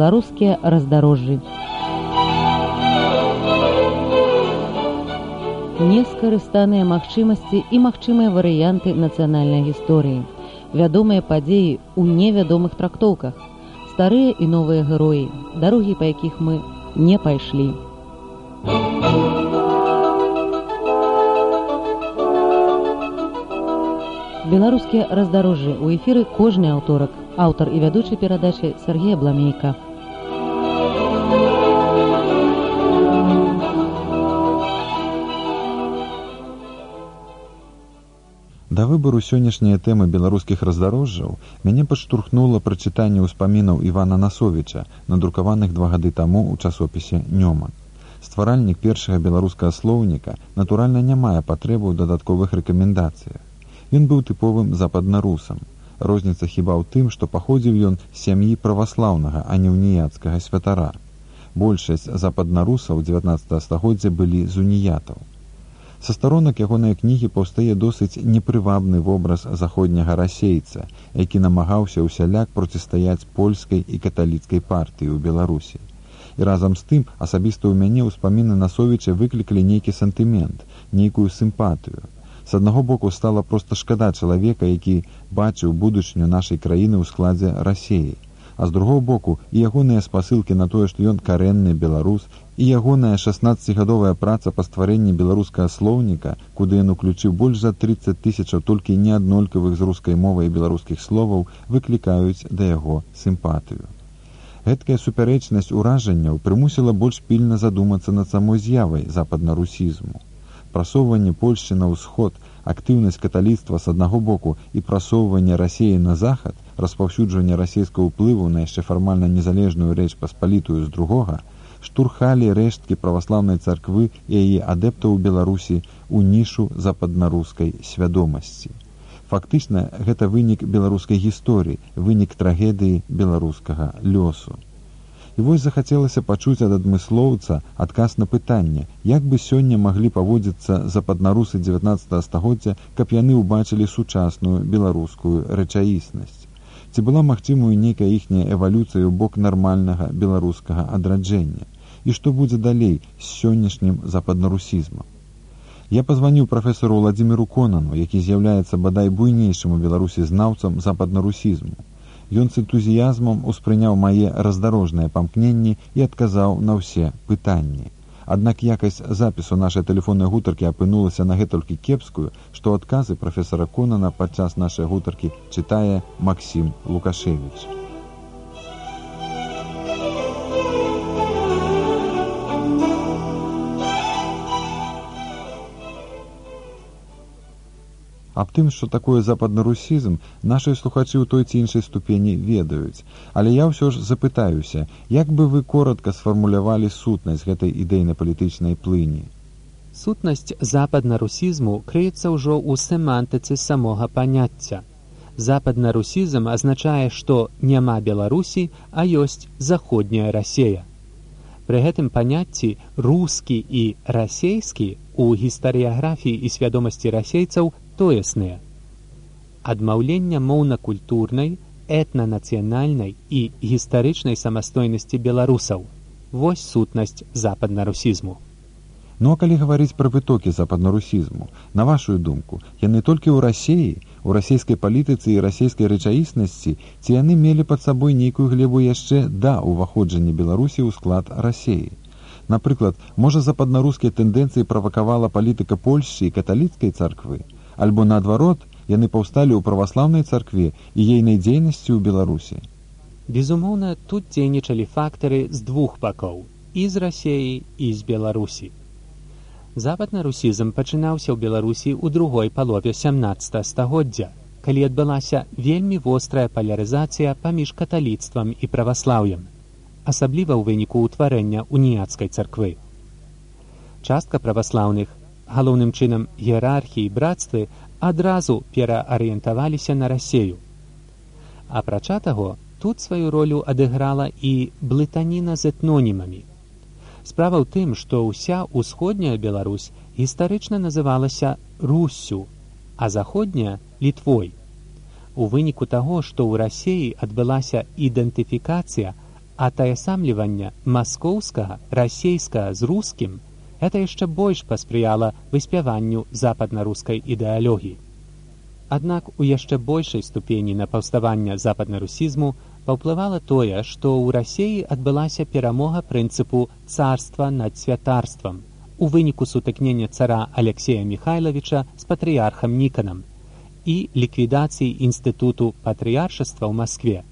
Беларускія раздарожжы. Нескарыстаныя магчымасці і магчымыя варыянты нацыянальнай гісторыі. Вядомыя падзеі ў невядомых трактоўках. Старыя і новыя героі, дарогі, па якіх мы не пайшлі. Беларускія раздарожжы. У эфіры кожны аўторак. Аўтар і вядучы перадачы Сергей Абламейка. Да выбару сённяшняй тэмы беларускіх раздарожжаў мяне падштурхнула прачытанне ўспамінаў Івана Насовіча, надрукаваных 2 гады таму ў часопісе «Нёман». Стваральнік першага беларускага слоўніка, натуральна, не мае патрэбы ў дадатковых рэкамендацыях. Ён быў тыповым западнарусам. Розніца хіба ў тым, што паходзіў ён з сям'і праваслаўнага, а не уніяцкага святара. Большасць западнарусаў 19 стагоддзя былі з уніятаў. Са старонак ягонай кнігі паўстае досыць непрывабны вобраз заходняга расейца, які намагаўся ўсяляк процістаяць польскай і каталіцкай партыі ў Беларусі. І разам з тым асабіста ў мяне ўспаміны Насовіча выклікалі нейкі сантымент, нейкую сімпатыю. З аднаго боку стала проста шкада чалавека, які бачыў будучыню нашай краіны ў складзе Расеі, а з другого боку і ягоныя спасылкі на тое, што ён карэнны беларус, і ягоная 16-гадовая праца па стварэнні беларускага слоўніка, куды ён уключыў больш за 30 000 толькі неаднолькавых з рускай мовай і беларускіх словаў, выклікаюць да яго сімпатыю. Гэткая супярэчнасць уражанняў прымусіла больш пільна задумацца над самой з'явай западнарусізму. Прасоўванне Польшчы на ўсход, актыўнасць каталіцтва з аднаго боку і прасоўванне Расеі на захад, распаўсюджванне расейскага ўплыву на яшчэ фармальна незалежную рэч паспалітую з другога, штурхалі рэшткі праваслаўнай царквы і яе адэптаў у Беларусі ў нішу западнарускай свядомасці. Фактычна, гэта вынік беларускай гісторыі, вынік трагедыі беларускага лёсу. І вось захацелася пачуць ад адмыслоўца адказ на пытанне, як бы сёння маглі паводзіцца западнарусы 19 стагоддзя, каб яны ўбачылі сучасную беларускую рэчаіснасць. Ці была магчымая нейкая іхняя эвалюцыя ў бок нармальнага беларускага адраджэння? І што будзе далей з сённяшнім западнарусізмам? Я пазваніў прафесару Владзіміру Конану, які з'яўляецца бадай буйнейшым у Беларусі знаўцам западнарусізму. Ён з энтузіязмам успрыняў мае раздарожныя памкненні і адказаў на ўсе пытанні. Аднак якасць запісу нашай тэлефоннай гутаркі апынулася на гэтулькі кепскую, што адказы прафесара Конана падчас нашай гутаркі чытае Максім Лукашевіч. Аб тым, што такое западнарусізм, нашыя слухачы ў той ці іншай ступені ведаюць. Але я ўсё ж запытаюся, як бы вы коратка сфармулявалі сутнасць гэтай ідэйна-палітычнай плыні? Сутнасць западнарусізму крыецца ўжо ў семантыцы самога паняцця. Западнарусізм азначае, што няма Беларусі, а ёсць заходняя Расея. Пры гэтым паняцці рускі і расейскі у гістарыяграфіі і свядомасці расейцаў тоесныя. Адмаўленне моўна-культурнай, этна-нацыянальнай і гістарычнай самастойнасці беларусаў. Вось сутнасць западнарусізму. Ну а калі гаварыць пра вытокі западнарусізму, на вашу думку, яны толькі ў Расеі, у расейскай палітыцы і расейскай рэчаіснасці, ці яны мелі пад сабой нейкую глебу яшчэ да ўваходжання Беларусі ў склад Расеі? Напрыклад, можа западнарускія тэндэнцыі правакавала палітыка Польшчы і каталіцкай царквы? Альбо наадварот, яны паўсталі ў праваслаўнай царкве і ейнай дзейнасці ў Беларусі? Безумоўна, тут дзейнічалі фактары з двух бакоў, і з Расеі, і з Беларусі. Западнарусізм пачынаўся ў Беларусі ў другой палове 17 стагоддзя, калі адбылася вельмі вострая палярызацыя паміж каталіцтвам і праваслаўем, асабліва ў выніку ўтварэння уніяцкай царквы. Частка праваслаўных, галоўным чынам іерархіі і брацтвы, адразу пераарыентаваліся на Расею. Апрача таго, тут сваю ролю адыграла і блытаніна з этнонімамі. Справа ў тым, што ўся ўсходняя Беларусь гістарычна называлася Руссю, а заходняя – Літвой. У выніку таго, што ў Расеі адбылася ідэнтыфікацыя, атаясамлівання маскоўскага, расейскага з рускім гэта яшчэ больш паспрыяла выспяванню западна-рускай ідэалогіі. Аднак у яшчэ большай ступені на паўставанне западна-русізму паўплывала тое, што ў Расіі адбылася перамога прынцыпу царства над святарствам у выніку сутыкнення цара Алексея Михайловича з патрыярхам Ніканам і ліквідацыі інстытуту патрыяршаства ў Маскве.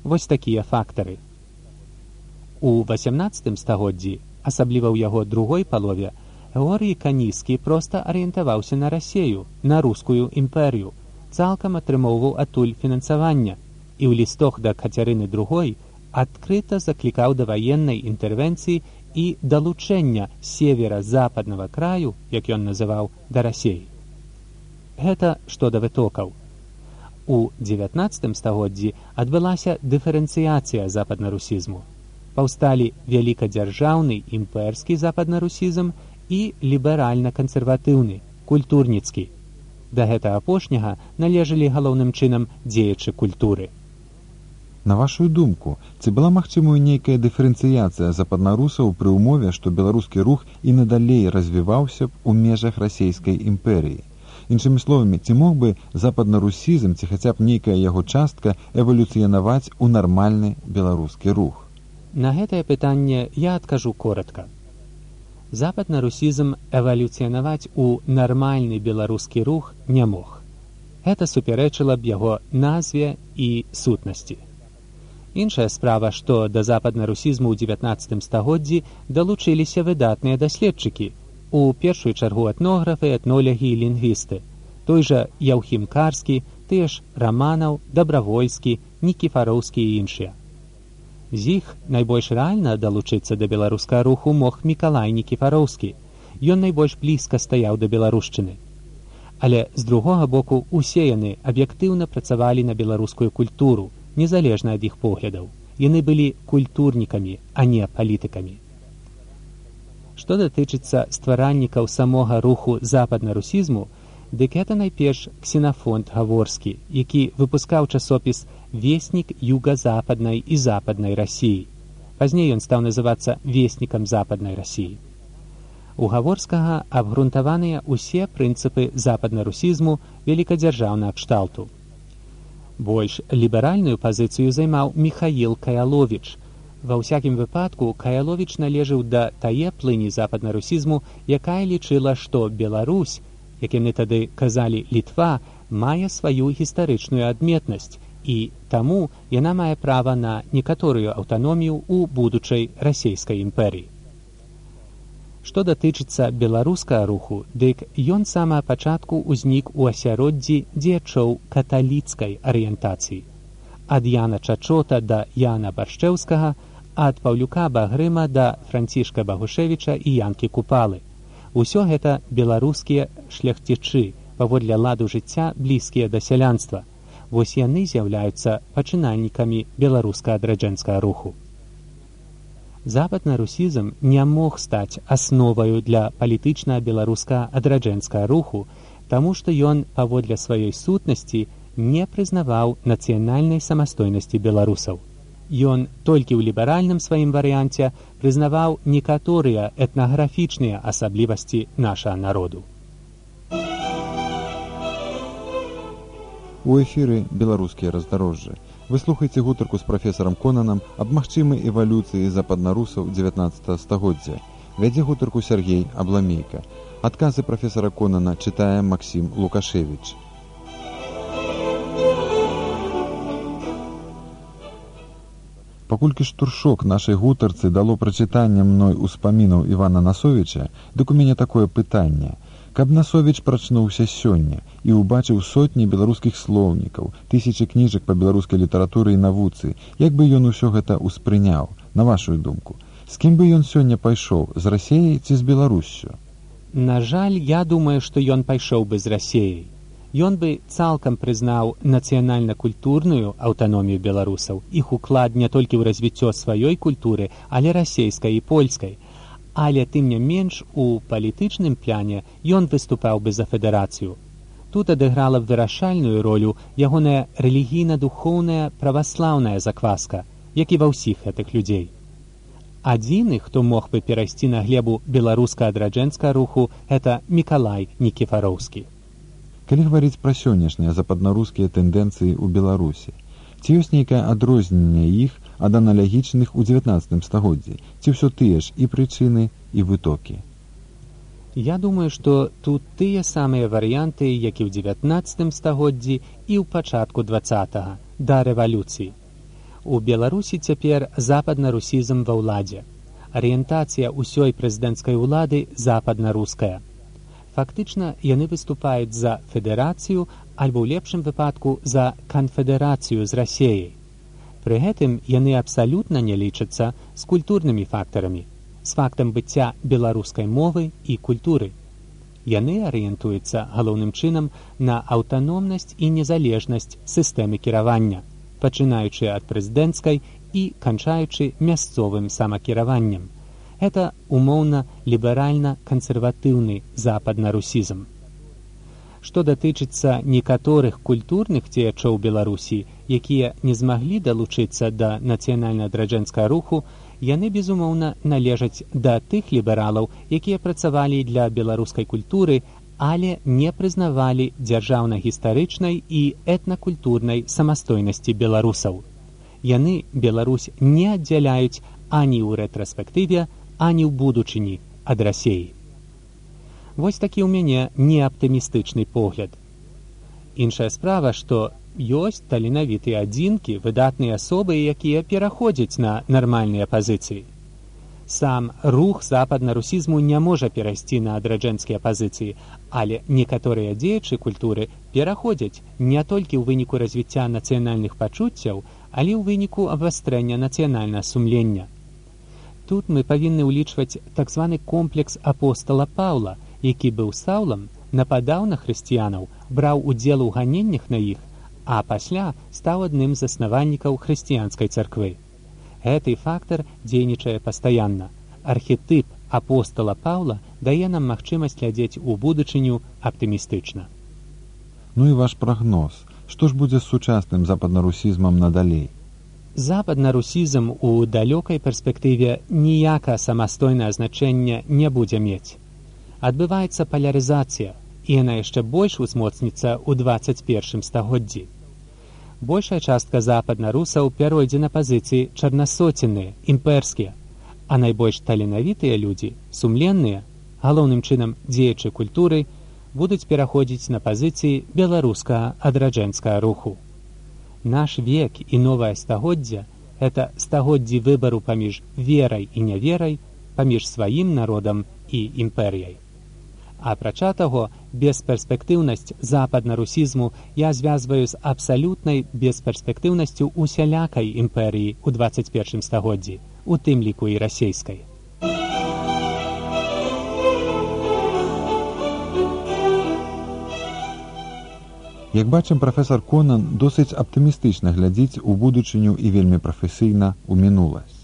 Вось такія фактары. У 18 стагоддзі, асабліва ў яго другой палове, Георгій Каніскі проста арыентаваўся на Расею, на рускую імперію, цалкам атрымоўваў адтуль фінансавання і ў лістах да Кацярыны II адкрыта заклікаў да ваеннай інтэрвенцыі і далучэння севера-западнага краю, як ён называў, да Расеі. Гэта што да вытокаў. У 19 стагоддзі адбылася дыферэнцыяцыя западна-русізму. Паўсталі вялікадзяржаўны імперскі западна-русізм і ліберальна-кансерватыўны, культурніцкі. Да гэтага апошняга належалі галоўным чынам дзеячы культуры. На вашу думку, ці была магчымая нейкая дыферэнцыяцыя западнарусаў пры ўмове, што беларускі рух і надалей развіваўся б у межах расійскай імперыі? Іншымі словамі, ці мог бы западнарусізм, ці хаця б нейкая яго частка эвалюцыянаваць у нармальны беларускі рух? На гэтае пытанне я адкажу коротка. Западна-русізм эвалюцыянаваць у нармальны беларускі рух не мог. Гэта супярэчыла б яго назве і сутнасці. Іншая справа, што да западна-русізму ў 19 стагоддзі далучыліся выдатныя даследчыкі, у першую чаргу этнографы, этнолягі і лінгвісты, той жа Яўхім Карскі, тыя ж Раманаў, Дабравольскі, Нікіфароўскі і іншыя. З іх найбольш рэальна далучыцца да беларускага руху мог Мікалай Нікіфароўскі. Ён найбольш блізка стаяў да беларушчыны. Але, з другога боку, усе яны аб'ектыўна працавалі на беларускую культуру, незалежна ад іх поглядаў. Яны былі культурнікамі, а не палітыкамі. Што датычыцца стваральнікаў самога руху западна-русізму, дык гэта найперш Ксенафонт Гаворскі, які выпускаў часопіс «Вестнік юга-западнай і западнай Расіі». Пазней ён стаў называцца «Вестнікам западнай Расіі». У Гаворскага абгрунтаваныя ўсе прынцыпы западна-русізму вялікадзяржаўнага кшталту. Больш ліберальную пазіцыю займаў Міхаіл Каяловіч. Ва ўсякім выпадку Каяловіч належыў да тае плыні западна-русізму, якая лічыла, што Беларусь, як яны тады казалі Літва, мае сваю гістарычную адметнасць, і таму яна мае права на некаторую аўтаномію ў будучай расійскай імперыі. Што датычыцца беларускага руху, дык ён з самага пачатку ўзнік у асяроддзі дзеячоў каталіцкай арыентацыі. Ад Яна Чачота да Яна Баршчэўскага, ад Паўлюка Багрыма да Францішка Багушевіча і Янкі Купалы. Усё гэта беларускія шляхцічы, паводле ладу жыцця блізкія да сялянства. Вось яны з'яўляюцца пачынальнікамі беларуска адраджэнскага руху. Западна-русізм не мог стаць асноваю для палітычна беларуска адраджэнскага руху, таму што ён, паводле сваёй сутнасці, не прызнаваў нацыянальнай самастойнасці беларусаў. Ён толькі ў ліберальным сваім варыянце прызнаваў некаторыя этнаграфічныя асаблівасці нашага народу. У эфіры «Беларускія раздарожжы». Вы слухаеце гутарку з прафесарам Конанам аб магчымай эвалюцыі западнарусаў 19 стагоддзя. Вядзе гутарку Сергей Абламейка. Адказы прафесара Конана чытае Максім Лукашевіч. Паколькі штуршок нашай гутарцы дало прачытанне мной успамінаў Івана Насовіча, дык у мяне такое пытанне. Каб Насовіч прачнуўся сёння і ўбачыў сотні беларускіх слоўнікаў, тысячы кніжак па беларускай літаратуры і навуцы, як бы ён усё гэта ўспрыняў, на вашу думку? З кім бы ён сёння пайшоў, з Расіяй ці з Беларуссю? На жаль, я думаю, што ён пайшоў бы з Расіяй. Ён бы цалкам прызнаў нацыянальна-культурную аўтаномію беларусаў, іх уклад не толькі ў развіццё сваёй культуры, але расейскай і польскай. Але, тым не менш, у палітычным пляне ён выступаў бы за федэрацыю. Тут адыграла б вырашальную ролю ягоная рэлігійна-духоўная праваслаўная закваска, як і ва ўсіх гэтых людзей. Адзіны, хто мог бы перайсці на глебу беларуска-адраджэнскага руху, гэта Мікалай Нікіфароўскі. Калі гаварыць пра сённяшнія западнарускія тэндэнцыі ў Беларусі, ці ёсць нейкае адрозненне іх ад аналагічных у 19 стагоддзі, ці ўсё тыя ж і прычыны, і вытокі? Я думаю, што тут тыя самыя варыянты, як і ў 19 стагоддзі і ў пачатку 20-го, да рэвалюцыі. У Беларусі цяпер западна-русізм ва ўладзе. Арыентацыя ўсёй прэзідэнцкай улады западна-руская. Фактычна, яны выступаюць за федэрацыю, альбо ў лепшым выпадку за канфедэрацыю з Расеяй. Пры гэтым яны абсалютна не лічацца з культурнымі фактарамі, з фактам быцця беларускай мовы і культуры. Яны арыентуюцца галоўным чынам на аўтаномнасць і незалежнасць сістэмы кіравання, пачынаючы ад прэзідэнцкай і канчаючы мясцовым самакіраваннем. Гэта умоўна ліберальна-кансерватыўны западна-русізм. Што датычыцца некаторых культурных дзеячоў Беларусі, якія не змаглі далучыцца да нацыянальна-адраджэнскага руху, яны, безумоўна, належаць да тых лібералаў, якія працавалі для беларускай культуры, але не прызнавалі дзяржаўна-гістарычнай і этнакультурнай самастойнасці беларусаў. Яны Беларусь не аддзяляюць ані ў рэтраспектыве, ані ў будучыні ад Расеі. Вось такі ў мяне неаптымістычны погляд. Іншая справа, што ёсць таленавітыя адзінкі, выдатныя асобы, якія пераходзяць на нармальныя пазіцыі. Сам рух западна-русізму не можа перайсці на адраджэнскія пазіцыі, але некаторыя дзеячы культуры пераходзяць не толькі ў выніку развіцця нацыянальных пачуццяў, але ў выніку абвастрэння нацыянальнага сумлення. Тут мы павінны ўлічваць так званы комплекс апостала Паўла, які быў Саўлам, нападаў на хрысціянаў, браў удзел у ганеннях на іх, а пасля стаў адным з заснавальнікаў хрысціянскай царквы. Гэты фактар дзейнічае пастаянна. Архетып апостала Паўла дае нам магчымасць глядзець у будучыню аптымістычна. Ну і ваш прагноз. Што ж будзе з сучасным западнарусізмам надалей? Западнарусізм у далёкай перспектыве ніякае самастойнае значэнне не будзе мець. Адбываецца палярызацыя, і яна яшчэ больш узмоцніцца ў 21 стагоддзі. Большая частка западнарусаў пяройдзе на пазіцыі чарнасоценныя, імперскія, а найбольш таленавітыя людзі, сумленныя, галоўным чынам дзеячы культуры, будуць пераходзіць на пазіцыі беларуска-адраджэнскага руху. Наш век і новае стагоддзе – гэта стагоддзі выбару паміж верай і няверай, паміж сваім народам і імперыяй. Апрача таго, бесперспектыўнасць западна-русізму я звязваю з абсалютнай бесперспектыўнасцю усялякай імперыі ў 21 стагоддзі, у тым ліку і расейскай. Як бачым, прафесар Конан досыць аптымістычна глядзіць у будучыню і вельмі прафесійна ў мінуласць.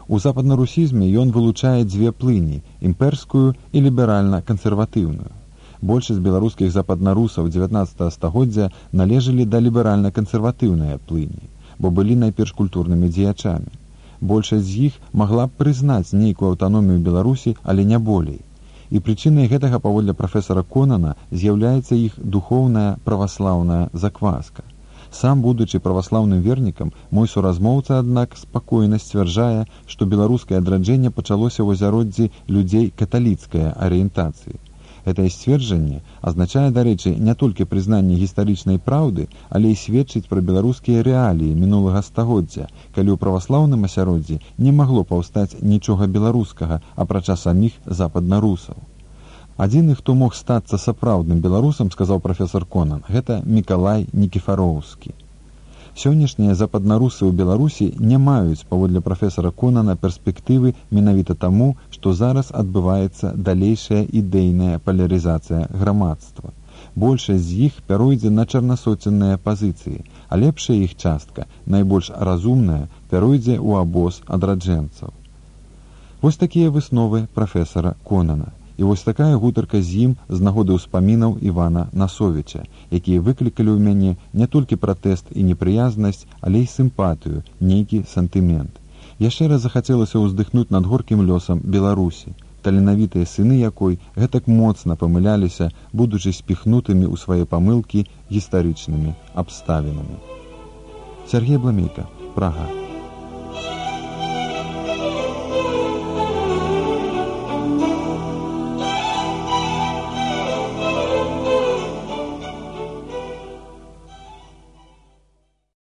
У западнарусізме ён вылучае дзве плыні – імперскую і ліберальна-кансерватыўную. Большасць беларускіх западнарусаў 19 стагоддзя належалі да ліберальна-кансерватыўнай плыні, бо былі найперш культурнымі дзеячамі. Большасць з іх магла б прызнаць нейкую аўтаномію Беларусі, але не болей. І прычынай гэтага, паводле прафесара Конана, з'яўляецца іх духоўная праваслаўная закваска. Сам, будучы праваслаўным вернікам, мой суразмоўца, аднак, спакойна сцвярджае, што беларускае адраджэнне пачалося ў азяроддзі людзей каталіцкай арыентацыі. Гэтае сцверджанне азначае, дарэчы, не толькі прызнанне гістарычнай праўды, але і сведчыць пра беларускія рэаліі мінулага стагоддзя, калі ў праваслаўным асяроддзі не магло паўстаць нічога беларускага, апрача саміх западнарусаў. Адзіны, хто мог стацца сапраўдным беларусам, сказаў прафесар Конан, гэта Мікалай Нікіфароўскі. Сённяшнія западнарусы ў Беларусі не маюць, паводле прафесара Конана, перспектывы менавіта таму, што зараз адбываецца далейшая ідэйная палярызацыя грамадства. Большасць з іх пяройдзе на чарнасоценныя пазіцыі, а лепшая іх частка, найбольш разумная, пяройдзе ў абоз адраджэнцаў. Вось такія высновы прафесара Конана. І вось такая гутарка з ім з нагоды ўспамінаў Івана Насовіча, якія выклікалі ў мяне не толькі пратэст і непрыязнасць, але і сімпатыю, нейкі сантымент. Яшчэ раз захацелася ўздыхнуць над горкім лёсам Беларусі, таленавітыя сыны якой гэтак моцна памыляліся, будучы спіхнутымі ў свае памылкі гістарычнымі абставінамі. Сергей Бламейка, Прага.